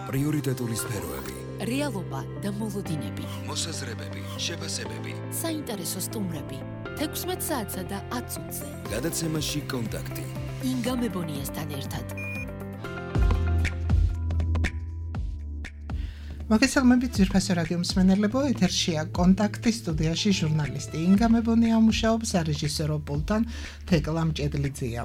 პრიორიტეტული სფეროები, რეალობა და მოლოდინები, მოსაზრებები, შეფასებები, საინტერესო სტუმრები, 16 საათსა და 10 წუთზე. გადაცემაში კონტაქტი. ინგა მებონიასთან ერთად. მოგესალმებით ძვირფასო რადიო მსმენელებო, ეთერშია კონტაქტი, სტუდიაში ჟურნალისტი ინგა მებონია მუშაობს, სარეჟისორო პულტთან თეკლა მჭედლიძეა.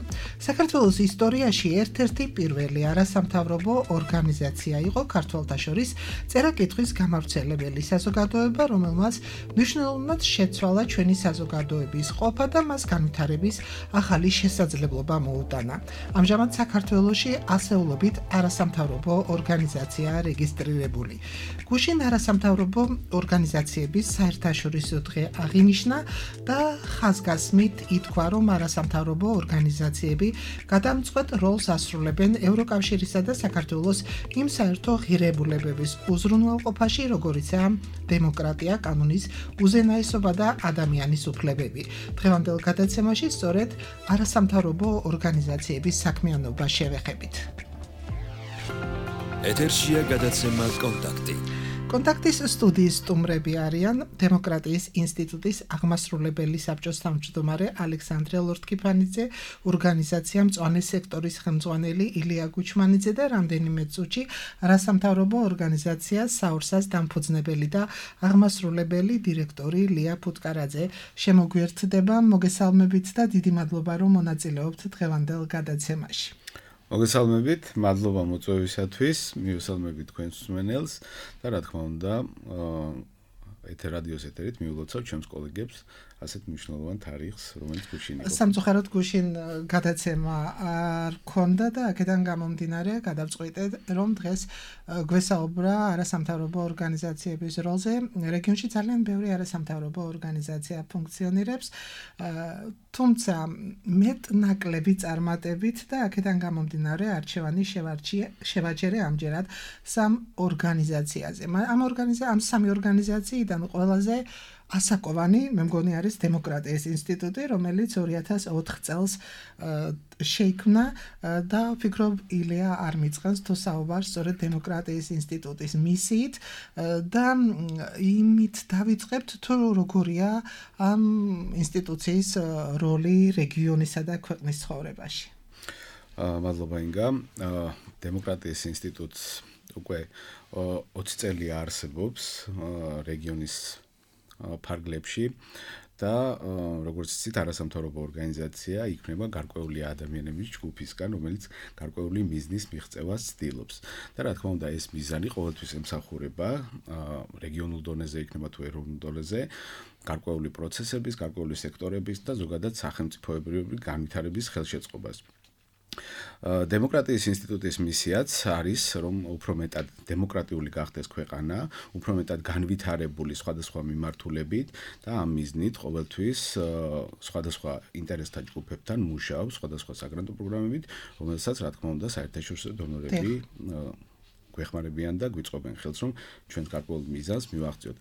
საქართველოს ისტორიაში ერთ-ერთი პირველი არასამთავრობო ორგანიზაცია იყო ქართველთა შორის წერა-კითხვის გამავრცელებელი საზოგადოება, რომელმაც მნიშვნელოვნად შეცვალა ჩვენი საზოგადოების ყოფა და მას განვითარების ახალი შესაძლებლობა მოუტანა. ამჟამად საქართველოში ასეულობით არასამთავრობო ორგანიზაციაა რეგისტრირებული. გუშინ არასამთავრობო ორგანიზაციების საერთაშორისო დღე აღინიშნა და ხაზგასმით ითქვა, რომ არასამთავრობო ორგანიზაციები გადამწყვეტ როლს ასრულებენ ევროკავშირისა და საქართველოს იმ საერთო ღირებულებების უზრუნველყოფაში, როგორიცაა დემოკრატია, კანონის უზენაესობა და ადამიანის უფლებები. დღევანდელ გადაცემაში სწორედ არასამთავრობო ორგანიზაციების საქმიანობა შევეხებით. ეთერშია გადაცემა კონტაქტი. კონტაქტის სტუდიის სტუმრები არიან დემოკრატიის ინსტიტუტის აღმასრულებელი საბჭოს თავმჯდომარე ალექსანდრე ლორთქიფანიძე, ორგანიზაცია მწვანე სექტორის ხელმძღვანელი ილია გუჩმანიძე და რამდენიმე წუთში არასამთავრობო ორგანიზაცია საურსას დამფუძნებელი და აღმასრულებელი დირექტორი ლია ფუტკარაძე. შემოგვიერთდება, მოგესალმებით და დიდი მადლობა, რომ მონაწილეობთ დღევანდელ გადაცემაში. მოგესალმებით, მადლობა მოწვევისათვის, მივესალმებით თქვენს მსმენელს და რა თქმა უნდა, რადიოს ეთერით მიულოცავ ჩემს კოლეგებს ასეთ მნიშვნელოვან თარიღს, რომელიც გუშინ იყო. სამწუხაროდ გუშინ გადაცემა არ ქონდა და აქედან გამომდინარე გადავწყვიტეთ, რომ დღეს გვესაუბრა არასამთავრობო ორგანიზაციების როლზე. რეგიონში ძალიან ბევრი არასამთავრობო ორგანიზაცია ფუნქციონირებს, თუმცა მეტ-ნაკლები წარმატებით და აქედან გამომდინარე არჩევანი შევაჩერე ამჯერად სამ ორგანიზაციაზე. ამ სამი ორგანიზაციიდან ყველაზე ასაკოვანი, მე მგონი არის დემოკრატიის ინსტიტუტი, რომელიც 2004 წელს შეიქმნა და ვფიქრობ ილია არ მიწყენს თუ საუბარს სწორედ დემოკრატიის ინსტიტუტის მისიით და იმით დავიწყებთ თუ როგორია ამ ინსტიტუციის როლი რეგიონისა და ქვეყნის ცხოვრებაში. მადლობა ინგა. დემოკრატიის ინსტიტუტს უკვე 20 წელი არსებობს რეგიონის ფარგლებში და როგორც იცით, არასამთავრობო ორგანიზაცია იქმნება გარკვეული ადამიანების ჯგუფისგან, რომელიც გარკვეული მიზნის მიღწევას ცდილობს. და რა თქმა უნდა, ეს მიზანი ყოველთვის ემსახურება რეგიონულ დონეზე იქნება თუ ეროვნულ დონეზე გარკვეული პროცესების, გარკვეული სექტორების და ზოგადად სახელმწიფოებრივი განვითარების ხელშეწყობას. დემოკრატიის ინსტიტუტის მისიაც არის, რომ უფრო მეტად დემოკრატიული გახდეს ქვეყანა, უფრო მეტად განვითარებული სხვადასხვა მიმართულებით და ამ მიზნით ყოველთვის სხვადასხვა ინტერესთა ჯგუფებთან მუშაობს, სხვადასხვა საგრანტო პროგრამებით, რომელსაც რა თქმა უნდა საერთაშორისო დონორები გვეხმარებიან და გვიწყობენ ხელს, რომ ჩვენს გარკვეულ მიზანს მივაღწიოთ.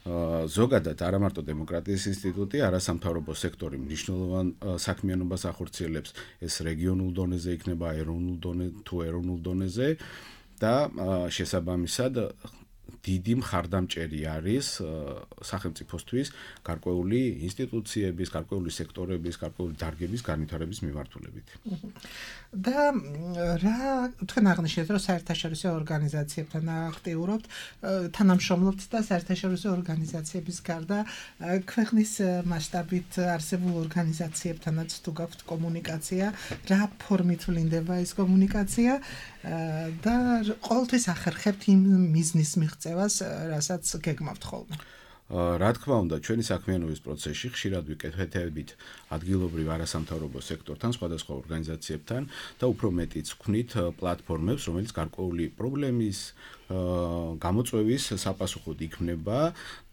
ზოგადად არა მარტო დემოკრატიის ინსტიტუტი, არასამთავრობო სექტორი მნიშვნელოვან საქმიანობას ახორციელებს, ეს რეგიონულ დონეზე იქნება, ეროვნულ დონეზე და შესაბამისად დიდი მხარდამჭერი არის სახელმწიფოსთვის გარკვეული ინსტიტუციების, გარკვეული სექტორების, გარკვეული დარგების განვითარების მიმართულებით. და რა თქვენ აღნიშნეთ, რომ საერთაშორისო ორგანიზაციებთან აქტიურობთ, თანამშრომლობთ და საერთაშორისო ორგანიზაციების გარდა ქვეყნის მასშტაბით არსებულ ორგანიზაციებთანაც თუ გაქვთ კომუნიკაცია, რა ფორმით ვლინდება ეს კომუნიკაცია და ყოველთვის ახერხებთ იმ მიზნის მიღწევას, რასაც გეგმავთ ხოლმე. რა თქმა უნდა, ჩვენი საქმიანობის პროცესში ხშირად ვიკეთებით ადგილობრივ არასამთავრობო სექტორთან, სხვადასხვა ორგანიზაციებთან და უფრო მეტიც ვქმნით პლატფორმებს, რომელიც გარკვეული პრობლემის გამოწვევის საპასუხოდ იქმნება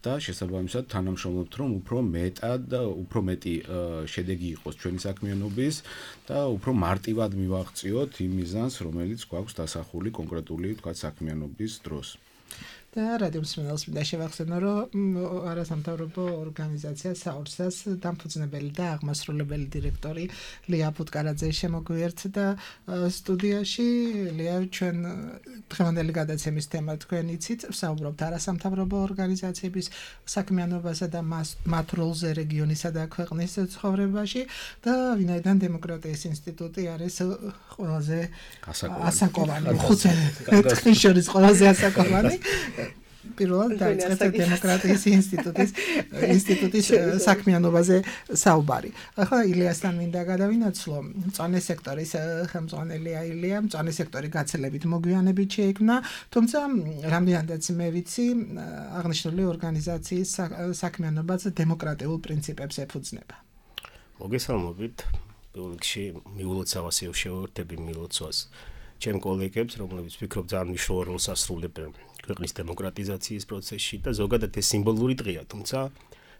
და შესაბამისად თანამშრომლობთ, რომ უფრო მეტი შედეგი იყოს ჩვენი საქმიანობის და უფრო მარტივად მივაღწიოთ იმ მიზანს, რომელიც გვაქვს დასახული კონკრეტული, თქვათ, საქმიანობის დროს. და რადიო მსმენელს მინდა შევახსენო, რომ არასამთავრობო ორგანიზაცია საურსას დამფუძნებელი და აღმასრულებელი დირექტორი ლია ფუტკარაძე შემოგვიერთდა სტუდიაში. ლია, ჩვენ დღევანდელი გადაცემის თემა თქვენ იცით, ვსაუბრობთ არასამთავრობო ორგანიზაციების საქმიანობასა და მათ როლზე რეგიონისა და ქვეყნის ცხოვრებაში და ვინაიდან დემოკრატიის ინსტიტუტი არის ყველაზე ასაკოვანი, ხუთი შორის ყველაზე ასაკოვანი. პირველად დაიწყეთ დემოკრატიის ინსტიტუტის საქმიანობაზე საუბარი. ახლა ილიასთან მინდა გადავინაცვლო. მწვანე სექტორის ხელმძღვანელია ილია, მწვანე სექტორი გაცილებით მოგვიანებით შეიქმნა, თუმცა რამდენადაც მე ვიცი, აღნიშნული ორგანიზაციის საქმიანობაც დემოკრატიულ პრინციპებს ეფუძნება. მოგესალმებით. პირველ რიგში მიულოცავას შევერთები მილოცვას ჩემ კოლეგებს, რომლებიც ვფიქრობ ძალიან მნიშვნელოვან როლს ასრულებენ ქვეყნის დემოკრატიზაციის პროცესში და ზოგადად ეს სიმბოლური დღეა, თუმცა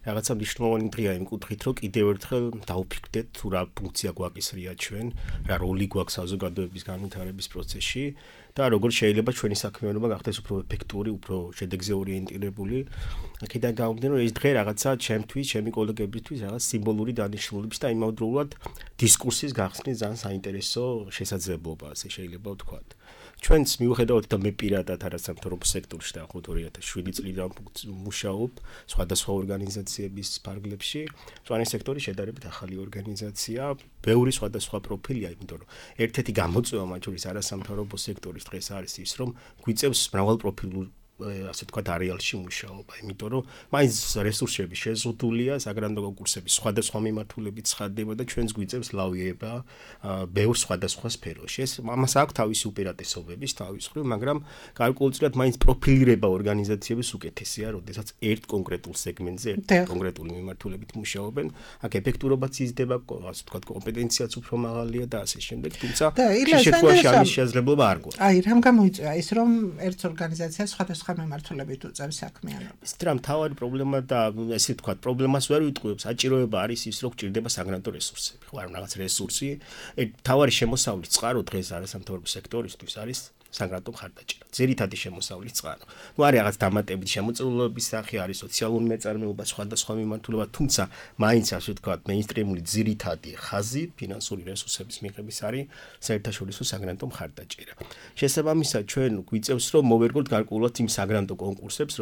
რაღაცა მნიშვნელოვანი დღეა იმ კუთხით, რომ კიდევ ერთხელ დავფიქრდეთ თუ რა ფუნქცია გვაკისრია ჩვენ, რა როლი გვაქვს საზოგადოების განვითარების პროცესში და როგორ შეიძლება ჩვენი საქმიანობა გახდეს უფრო ეფექტური, უფრო შედეგზე ორიენტირებული. აქედან გამომდინარე, რომ ეს დღე რაღაცა ჩემთვის, ჩემი კოლეგებისთვის რაღაც სიმბოლური დანიშნულების და იმავდროულად დისკურსის გახსნის ძალიან საინტერესო შესაძლებლობა, ასე შეიძლება ვთქვათ. ჩვენც მიუხედავად და მე პირადად არასამთავრობო სექტორში და 2007 წლიდან მუშაობ სხვადასხვა ორგანიზაციების ფარგლებში. მწვანე სექტორი შედარებით ახალი ორგანიზაცია, ბევრი სხვადასხვა პროფილია, იმიტომ რომ ერთ-ერთი გამოწვევა მათ შორის არასამთავრობო სექტორის დღეს არის ის, რომ გვიწევს მრავალპროფილურ ასე თქვა არეალში მუშაობა, იმიტომ რომ მაინც რესურსები შეზღუდულია, საგრანდო კონკურსები სხვადასხვა მიმართულებით ცხადდება და ჩვენს გვიწევს ლავირება ბევრ სხვადასხვა სფეროში. ეს ამას აქვს თავისი უპირატესობები, თავის მხრივ, მაგრამ გარკვეულწილად მაინც პროფილირება ორგანიზაციების უკეთესია, როდესაც ერთ კონკრეტულ სეგმენტზე, ერთ კონკრეტული მიმართულებით მუშაობენ, აქ ეფექტურობაც იზრდება, ასე თქვა კომპეტენციაც უფრო მაღალია და ასე შემდეგ, თუმცა შეშეთქვაში ამის შესაძლებლობა არ გვაქვს. აი, რამ გამოიწვია ის, რომ ერთ ორგანიზაციას სხვადასხვა მიმართულებით უწევს საქმიანობას. ეს რა მთავარი პრობლემა და ესე ვთქვათ, პრობლემას ვერ ვიტყვევ, საჭიროება არის ის, რომ გჭირდება საგრანტო რესურსები. ხო, არ რაღაც რესურსი, მთავარი შემოსავლის წყარო დღეს არასამთავრობო სექტორისთვის არის საგრანტო მხარდაჭერა. ძირითადი შემოსავლის წყარო. ნუ არის რაღაც დამატებით შემოწირულობების სახე, არის სოციალური მეწარმეობა, სხვადასხვა მიმართულება, თუმცა მაინც ასე ვთქვათ, მეინსტრიმული ძირითადი ხაზი ფინანსური რესურსების მიღების არის საერთაშორისო საგრანტო მხარდაჭერა. შესაბამისად, ჩვენ გვიწევს, რომ მოვერგოთ გარკვეულად იმ საგრანტო კონკურსებს,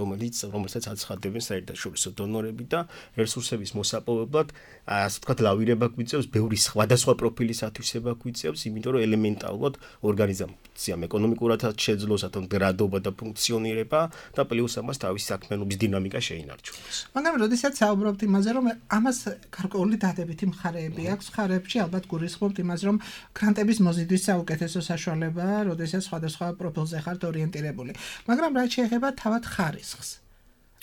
რომელსაც აცხადებენ საერთაშორისო დონორები და რესურსების მოსაპოვებლად, ასე ვთქვათ, ლავირება გვიწევს, ბევრი სხვადასხვა პროფილის ათვისება გვიწევს, იმიტომ რომ ელემენტარულად ორგანიზაციამ ეკონომიკურადაც შეძლოს გრადობა და ფუნქციონირება და პლუს ამას თავის საქმიანობის დინამიკა შეინარჩუნოს. მაგრამ როდესაც საუბრობთ იმაზე, რომ ამას გარკვეული დადებითი მხარეები აქვს, მხარეებში ალბათ გულისხმობთ იმას, რომ გრანტების მოზიდვის საუკეთესო საშუალებაა, როდესაც სხვადასხვა პროფილზე ხართ ორიენტირებული. მაგრამ რაც შეეხება თავად ხარისხს.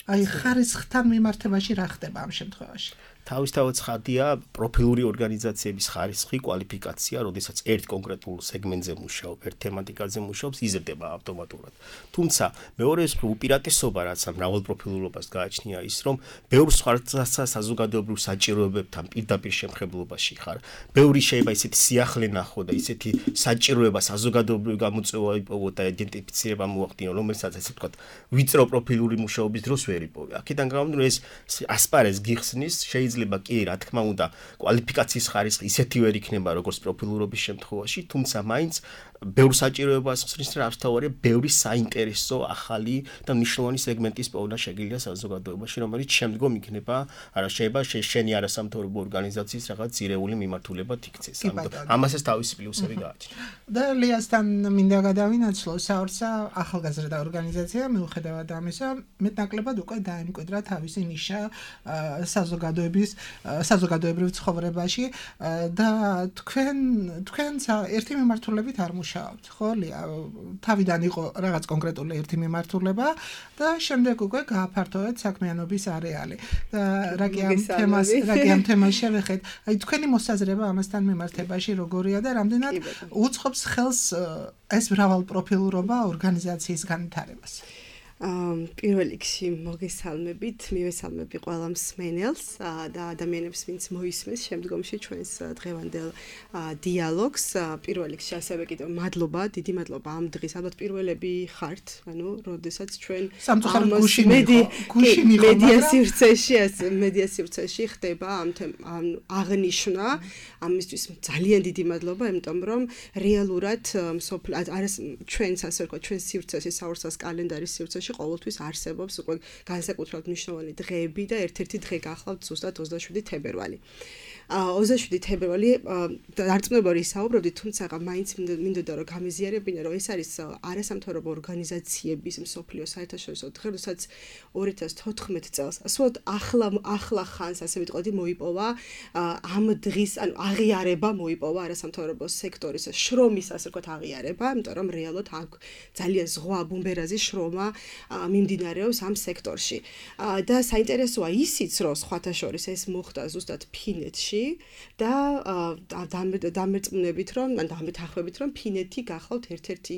აი, ხარისხთან მიმართებაში რა ხდება ამ შემთხვევაში? თავისთავად ცხადია პროფილური ორგანიზაციების ხარისხი, კვალიფიკაცია, როდესაც ერთ კონკრეტულ სეგმენტზე მუშაობ, ერთ თემატიკაზე მუშაობს, იზრდება ავტომატურად. თუმცა მეორე უპირატესობა, რაც ამ მრავალპროფილურობას გააჩნია, ის რომ ბევრ სხვადასხვა საზოგადოებრივ საჭიროებებთან პირდაპირ შემხებლობაში ხარ. ბევრი შეიძლება ისეთი სიახლე ნახო და ისეთი საჭიროება საზოგადოებრივი გამოწვევა იპოვო და იდენტიფიცირება მოახდინო, რომელსაც ასე ვთქვათ, ვიწრო პროფილური მუშაობის დროს ვერ იპოვე. აქედან გამომდინარე, ეს ასპარეზს გიხსნის, შეიძლება კი, რა თქმა უნდა, კვალიფიკაციის ხარისხი ისეთი ვერ იქნება, როგორც პროფილურობის შემთხვევაში, თუმცა მაინც ბევრ საჭიროებას ხსნის, რა თავარია, ბევრი საინტერესო ახალი და მნიშვნელოვანი სეგმენტის პოვნა შეგიძლია საზოგადოებაში, რომელიც შემდგომ იქნება, არა შეიძლება შენი არასამთავრობო ორგანიზაციის რაღაც ძირეული მიმართულებად იქცეს. ამასაც თავისი პლუსები გააჩნია. და ლიასთან მინდა გადავინაცვლო, საურსა ახალგაზრდა ორგანიზაცია, მიუხედავად ამისა, მეტნაკლებად უკვე დაიმკვიდრა თავისი ნიშა საზოგადოებრივ ცხოვრებაში და თქვენც ერთი მიმართულებით არ მუშაობთ, ხო, ლია? თავიდან იყო რაღაც კონკრეტული ერთი მიმართულება და შემდეგ უკვე გააფართოვეთ საქმიანობის არეალი. და რა კი ამ თემას შევეხეთ? აი, თქვენი მოსაზრება ამასთან მიმართებაში როგორია და რამდენად უწყობს ხელს ეს მრავალპროფილურობა ორგანიზაციის განვითარებას? პირველ რიგში მოგესალმებით, მივესალმები ყველა მსმენელს და ადამიანებს, ვინც მოისმენს შემდგომში ჩვენს დღევანდელ დიალოგს. პირველ რიგში ასევე კიდევ მადლობა, დიდი მადლობა ამ დღის, ალბათ პირველები ხართ, ანუ როდესაც ჩვენ მედია სივრცეში ხდება ამ აღნიშვნა, ამისთვის ძალიან დიდი მადლობა, იმიტომ რომ რეალურად ჩვენს ასე ვთქვათ, ჩვენს სივრცეში, საურსას კალენდარის სივრცეში ყოველთვის არსებობს უკვე განსაკუთრებით მნიშვნელოვანი დღეები და ერთ-ერთი დღე გახლავთ ზუსტად 27 თებერვალი. 27 თებერვალი დარწმუნებულად ისაუბრებდი, თუმცა მაინც მინდოდა რომ გამიზიარებინა, რომ ეს არის არასამთავრობო ორგანიზაციების მსოფლიო საერთაშორისო დღე, როდესაც 2014 წელს ასეთ ახლა ხანს ასე ვიტყოდი მოიპოვა ამ დღის, ანუ აღიარება მოიპოვა არასამთავრობო სექტორის შრომის ასე ვთქვათ აღიარება, იმიტომ რომ რეალურად აქ ძალიან ზღვა ბუმბერაზის შრომა მიმდინარეობს ამ სექტორში. და საინტერესოა ისიც, რომ სხვათა შორის ეს მოხდა ზუსტად ფინეთში და დამერწმუნებით რომ დამეთანხმებით რომ ფინეთი გახლავთ ერთ-ერთი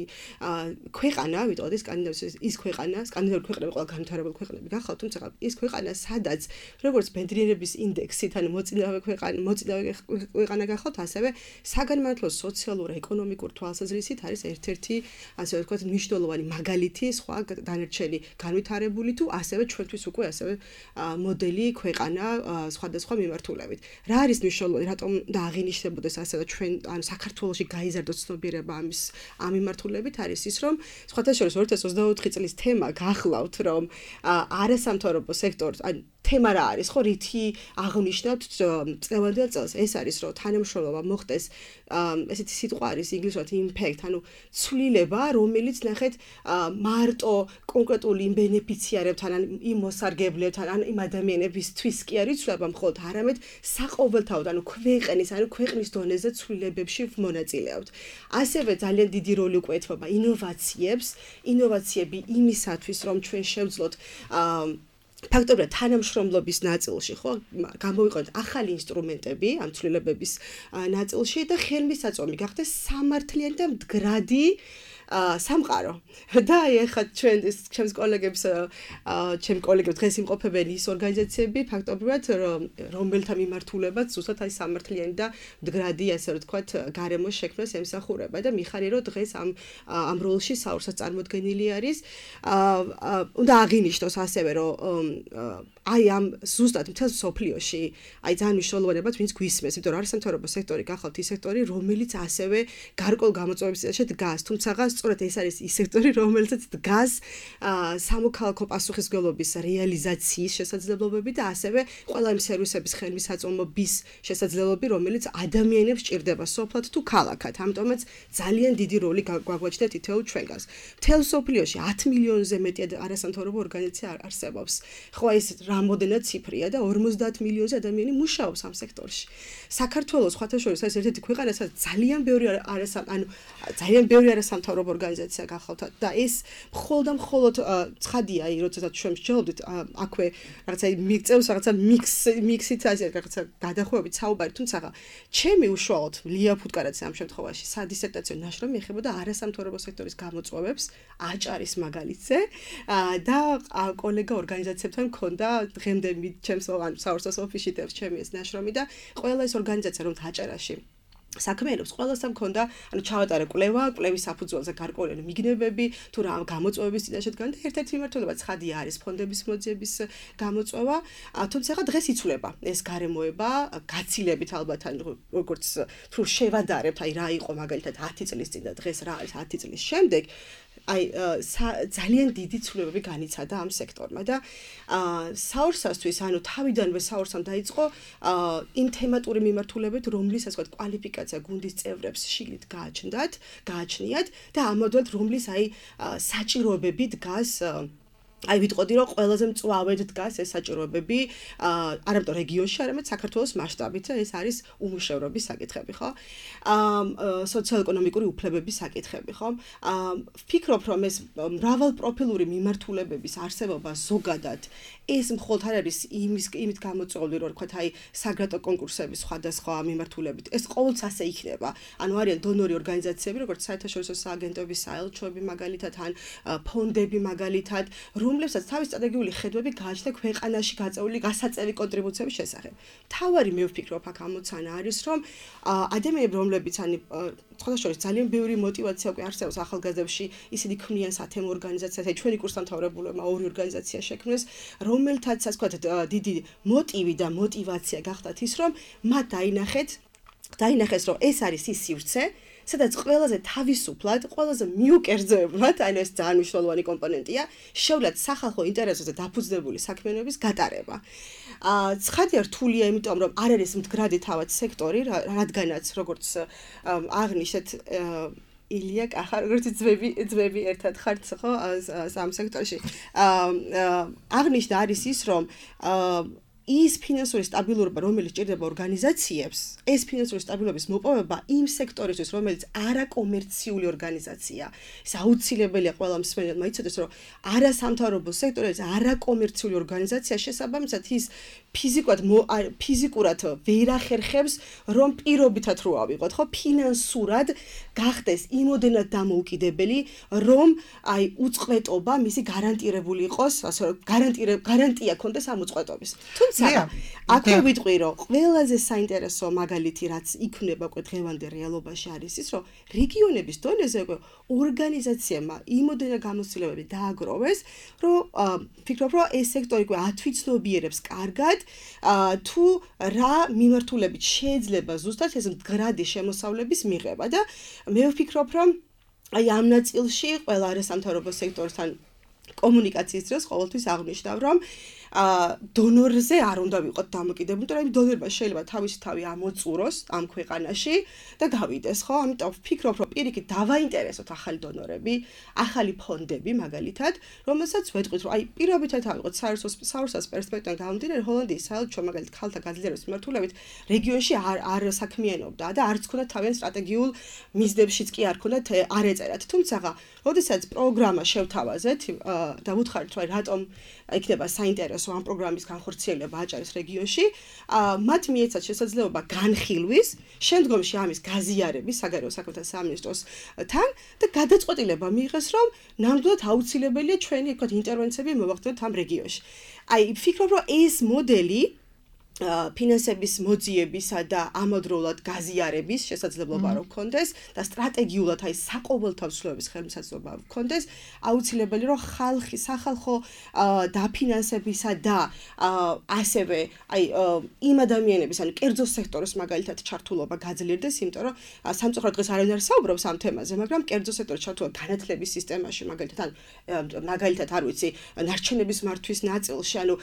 ქვეყანა, ვიტყოდი სკანდინავიის ის ქვეყანა, სკანდინავიური ქვეყნები ყველა განვითარებული ქვეყნები გახლავთ, თუმცა ის ქვეყანა, სადაც როგორც ბედნიერების ინდექსით, ანუ მოწინავე ქვეყანა გახლავთ, ასევე საგანმანათლებლო სოციალურ-ეკონომიკურ თვალსაზრისით არის ერთ-ერთი ასე ვთქვათ მნიშვნელოვანი მაგალითი სხვა დანარჩენი განვითარებული თუ ასევე ჩვენთვის უკვე ასევე მოდელი ქვეყანა სხვადასხვა მიმართულებით. რა არის მნიშვნელოვანი, რატომ და აღინიშნებოდეს ასევე ჩვენ ანუ საქართველოში გაიზარდოს ცნობიერება ამ მიმართულებით არის ის, რომ სხვათა შორის 2024 წლის თემა გახლავთ, რომ არასამთავრობო სექტორს ან თემა რა არის, ხო, რითი აღნიშნავთ წლევანდელ წელს, ეს არის, რომ თანამშრომლობა მოხდეს, ესეთი სიტყვა არის ინგლისურად impact, ანუ ცვლილება, რომელიც ნახეთ მარტო კონკრეტული იმ ბენეფიციარებთან, ან იმ მოსარგებლებთან, ან იმ ადამიანებისთვის კი არის ცვლილება მხოლოდ, არამედ საყოველთაოდ, ანუ ქვეყნის დონეზე ცვლილებებში მონაწილეობთ. ასევე ძალიან დიდი როლი უკვე ეთმობა ინოვაციები იმისათვის, რომ ჩვენ შევძლოთ ფაქტობრივად თანამშრომლობის ნაწილში, ხო, გამოვიყენოთ ახალი ინსტრუმენტები ამ ცვლილებების ნაწილში და ხელმისაწვდომი გახდეს სამართლიანი და მდგრადი სამყარო. და ეხლა ჩემს კოლეგებს დღეს იმყოფებენ ის ორგანიზაციები, ფაქტობრივად, რომელთა მიმართულებაც ზუსტად აი სამართლიანი და მდგრადი, ასე ვთქვათ, გარემოს შექმნას ემსახურება და მიხარი რომ დღეს ამ როლში საურსას წარმოდგენილი არის. უნდა აღინიშნოს ასევე, რომ აი ამ ზუსტად მთელ სოფლიოში, აი ძალიან მნიშვნელოვანებად ვინც გვისმენს, იმიტომ რომ არასამთავრობო სექტორი გახლავთ ის სექტორი, რომელიც ასევე გარკვეულ გამოწვევების წინაშე დგას, თუმცა სწორედ ეს არის ის სექტორი, რომელსაც დგას სამოქალაქო პასუხისმგებლობის რეალიზაციის შესაძლებლობები და ასევე ყველა იმ სერვისების ხელმისაწვდომობის შესაძლებლობები, რომელიც ადამიანებს ჭირდება სოფლად თუ ქალაქად. ამიტომაც ძალიან დიდი როლი გვაგვაჩნდა თითოეულ ჩვენგანს. მთელ სოფლიოში 10 მილიონზე მეტი არასამთავრობო ორგანიზაცია არსებობს. ხო, ეს რამოდენად ციფრია და 50 მილიონზე ადამიანი მუშაობს ამ სექტორში. საქართველოს სხვათა შორის არის ერთ-ერთი ქვეყანა, სადაც ძალიან ბევრი არასამთავრობო ორგანიზაცია გახლავთ და ეს მხოლოდ ცხადია, როდესაც ჩვენ ვსჯელობდით აქვე რაღაცა მიღწევს რაღაცა მიქსით ასე რაღაცა გადახვევებით საუბარი, თუმცა ჩემი უშუალოდ ლია ფუტკარაძე ამ შემთხვევაში სადისერტაციო ნაშრომი ეხებოდა არასამთავრობო სექტორის გამოწვევებს აჭარის მაგალითზე და კოლეგა ორგანიზაციებთან მქონდა დღემდე ჩემს საურსას ოფისში დევს ჩემი ეს ნაშრომი და ყველა ეს ორგანიზაცია რომ აჭარაში საქმეებს ყველასთან მქონდა, ანუ ჩავატარე კვლევის საფუძველზე გარკვეული მიგნებები, თუ რა გამოწვევების წინაშე დგან და ერთ-ერთი მიმართულება ცხადია არის ფონდების მოძიების გამოწვევა, თუმცა ხა დღეს იცვლება ეს გარემოება, გაცილებით ალბათ, ანუ როგორც თუ შევადარებთ, აი რა იყო მაგალითად 10 წლის წინ და დღეს რა არის 10 წლის შემდეგ, აი ძალიან დიდი ცვლილებები განიცადა ამ სექტორმა და საურსასთვის, ანუ თავიდანვე საურსამ დაიწყო იმ თემატური მიმართულებით, რომლის ასე ვთქვათ კვალიფიკაცია გუნდის წევრებს შიგნით გააჩნიათ და ამოდვად რომლის აი საჭიროებები დგას აი ვიტყოდი რომ ყველაზე მწვავედ დგას ეს საჭიროებები არამედ რეგიონში, არამედ საქართველოს მასშტაბით, ეს არის უმუშევრობის საკითხები, ხო? სოციალ-ეკონომიკური უფლებების საკითხები, ხო? ვფიქრობ, რომ ეს მრავალპროფილური მიმართულებების არსებობა ზოგადად ეს მხოლოდ არ არის იმით გამოწვეული, რომ ვთქვათ, აი საგრატო კონკურსების სხვადასხვა მიმართულებით. ეს ყოველთვის ასე იქნება. ანუ არიან დონორი ორგანიზაციები, როგორც საერთაშორისო სააგენტოები, საელჩოები მაგალითად, ან ფონდები მაგალითად, რომლებსაც თავის სტრატეგიული ხედვები გააჩნდა ქვეყანაში გაწეული გასაწევი კონტრიბუციების შესახებ. თავარი მე ვფიქრობ, აქ ამოცანა არის, რომ ადამიანები, რომლებიც ან სხვადასხვა ძალიან ბევრი мотиваცია უკვე არსებობს ახალგაზრდებში, ისინი ქმნიან სათემო ორგანიზაციას, აი ჩვენი კურსდამთავრებულებმა ორი ორგანიზაცია შექმნეს, რომელთაც ასე ვთქვათ, დიდი мотиვი და мотиваცია გახდათ ის, რომ მათ დაინახეს, რომ ეს არის ის სივრცე, სადაც ყველაზე თავისუფლად, ყველაზე მიუკერძოებლად, ანუ ეს ძალიან მნიშვნელოვანი კომპონენტია, შეუძლათ სახალხო ინტერესებზე დაფუძნებული საქმიანობის გატარება. ცხადია რთულია, იმიტომ რომ არ არის მდგრადი თავად სექტორი, რადგანაც როგორც აღნიშნეთ ილია კახა, როგორც ძმები ერთად ხართ, ხო, ამ სექტორში. აღნიშნა არის ის, რომ ის ფინანსური სტაბილურობა, რომელიც ჭირდება ორგანიზაციებს, ეს ფინანსური სტაბილურობის მოპოვება იმ სექტორისთვის, რომელიც არაკომერციული ორგანიზაცია. ეს აუცილებელია ყველა მსმენელმა იცოდეს, რომ არასამთავრობო სექტორი არის არაკომერციული ორგანიზაცია, შესაბამისად ის ფიზიკურად ვერ ახერხებს, რომ პირობითად რო ავიღოთ, ხო, ფინანსურად გახდეს იმოდენად დამოუკიდებელი, რომ აი უწყვეტობა მისი გარანტირებული იყოს, ასე რომ გარანტია ქონდეს ამ უწყვეტობის. აქვე ვიტყვი, რომ ყველაზე საინტერესო მაგალითი, რაც იქნება უკვე დღევანდელ რეალობაში არის ის, რომ რეგიონების დონეზე უკვე ორგანიზაციებმა იმოდენად გამოცდილებები დააგროვეს, რომ ვფიქრობ, რომ ეს სექტორი უკვე ათვიცნობიერებს კარგად, თუ რა მიმართულებით შეიძლება ზუსტად ეს მდგრადი შემოსავლების მიღება და მე ვფიქრობ, რომ აი ამ ნაწილში ყველა არასამთავრობო სექტორთან კომუნიკაციის დროს ყოველთვის აღნიშნავ, რომ დონორზე არ უნდა ვიყოთ დამოკიდებული, იმიტომ რომ დონორმა შეიძლება თავისი თავი ამოწუროს ამ ქვეყანაში და გავიდეს, ხო? ამიტომ ვფიქრობ, რომ პირიქით დავაინტერესოთ ახალი დონორები, ახალი ფონდები მაგალითად, რომელსაც ვეთქვით, რომ აი პირობითად ავიღოთ საერთოს პერსპექტივიდან გამომდინარე, ჰოლანდიის საელჩო მაგალითად ქალთა გაძლიერების მიმართულებით რეგიონში არ საქმიანობდა და არც ქონდა თავიანთ სტრატეგიულ მიზნებშიც კი არ ქონდათ არ ეწერათ. თუმცა, როდესაც პროგრამა შევთავაზეთ და ვუთხარით, რომ რატომ იქნება საინტერესო ამ პროგრამის განხორციელება აჭარის რეგიონში, მათ მიეცათ შესაძლებლობა განხილვის, შემდგომში ამის გაზიარების საგარეო საქმეთა სამინისტროსთან და გადაწყვეტილება მიიღეს, რომ ნამდვილად აუცილებელია ჩვენი თქვათ ინტერვენციები მოვახდინოთ ამ რეგიონში. აი, ვფიქრობ, რომ ეს მოდელი ფინანსების მოძიებისა და ამავდროულად გაზიარების შესაძლებლობა რო გქონდეს და სტრატეგიულად აი საყოველთაო ცვლილებების ხელმისაწვდომობა გქონდეს, აუცილებელი რომ სახალხო დაფინანსებისა და ასევე აი იმ ადამიანების, ანუ კერძო სექტორის მაგალითად ჩართულობა გაძლიერდეს, იმიტომ რომ სამწუხაროდ დღეს არავინ არ საუბრობს ამ თემაზე, მაგრამ კერძო სექტორის ჩართულობა განათლების სისტემაში მაგალითად არ ვიცი, ნარჩენების მართვის ნაწილში, ანუ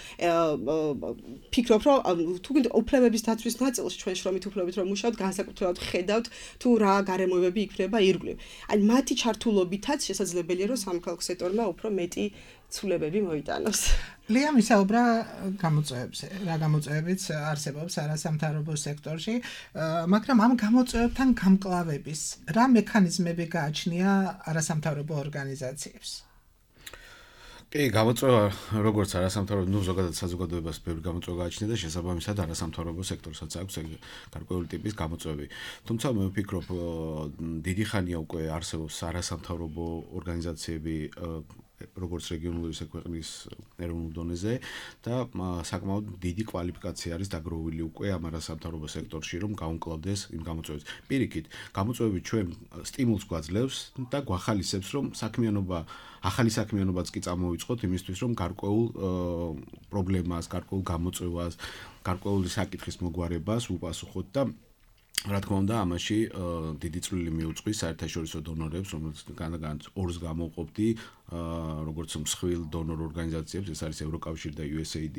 ფიქრობ რომ თუ გინდა უფლებების დაცვის ნაწილში ჩვენ შრომით უფლებებით რომ მუშაობთ, განსაკუთრებულად ხედავთ თუ რა გარემოებები იქნება ირგვლივ. აი მათი ჩართულობითაც შესაძლებელია რომ სამოქალაქო სექტორმა უფრო მეტი ცვლილებები მოიტანოს. ლიამ ისაუბრა გამოწვევებზე, რა გამოწვევებიც არსებობს არასამთავრობო სექტორში, მაგრამ ამ გამოწვევებთან გამკლავების რა მექანიზმები გააჩნია არასამთავრობო ორგანიზაციებს? კი, გამოწვევა როგორც არასამთავრობო, ზოგადად საზოგადოებას ბევრი გამოწვევა გააჩნია და შესაბამისად არასამთავრობო სექტორსაც აქვს გარკვეული ტიპის გამოწვევები. თუმცა მე ვფიქრობ, დიდი ხანია უკვე არსებობს არასამთავრობო ორგანიზაციები როგორც რეგიონული ისე ქვეყნის ეროვნულ დონეზე და საკმაოდ დიდი კვალიფიკაცია არის დაგროვილი უკვე ამ არასამთავრობო სექტორში, რომ გაუმკლავდეს იმ გამოწვევებს. პირიქით, გამოწვევები ჩვენ სტიმულს გვაძლევს და გვახალისებს, რომ ახალი საქმიანობაც კი წამოვიწყოთ იმისთვის, რომ გარკვეულ პრობლემას, გარკვეულ გამოწვევას, გარკვეული საკითხის მოგვარებას უპასუხოთ და რა თქმა უნდა, ამაში დიდი წვლილი მიუძღვის საერთაშორისო დონორებს, რომელთაგან ორს გამოვყოფდი როგორც მსხვილ დონორ ორგანიზაციებს, ეს არის ევროკავშირი და USAID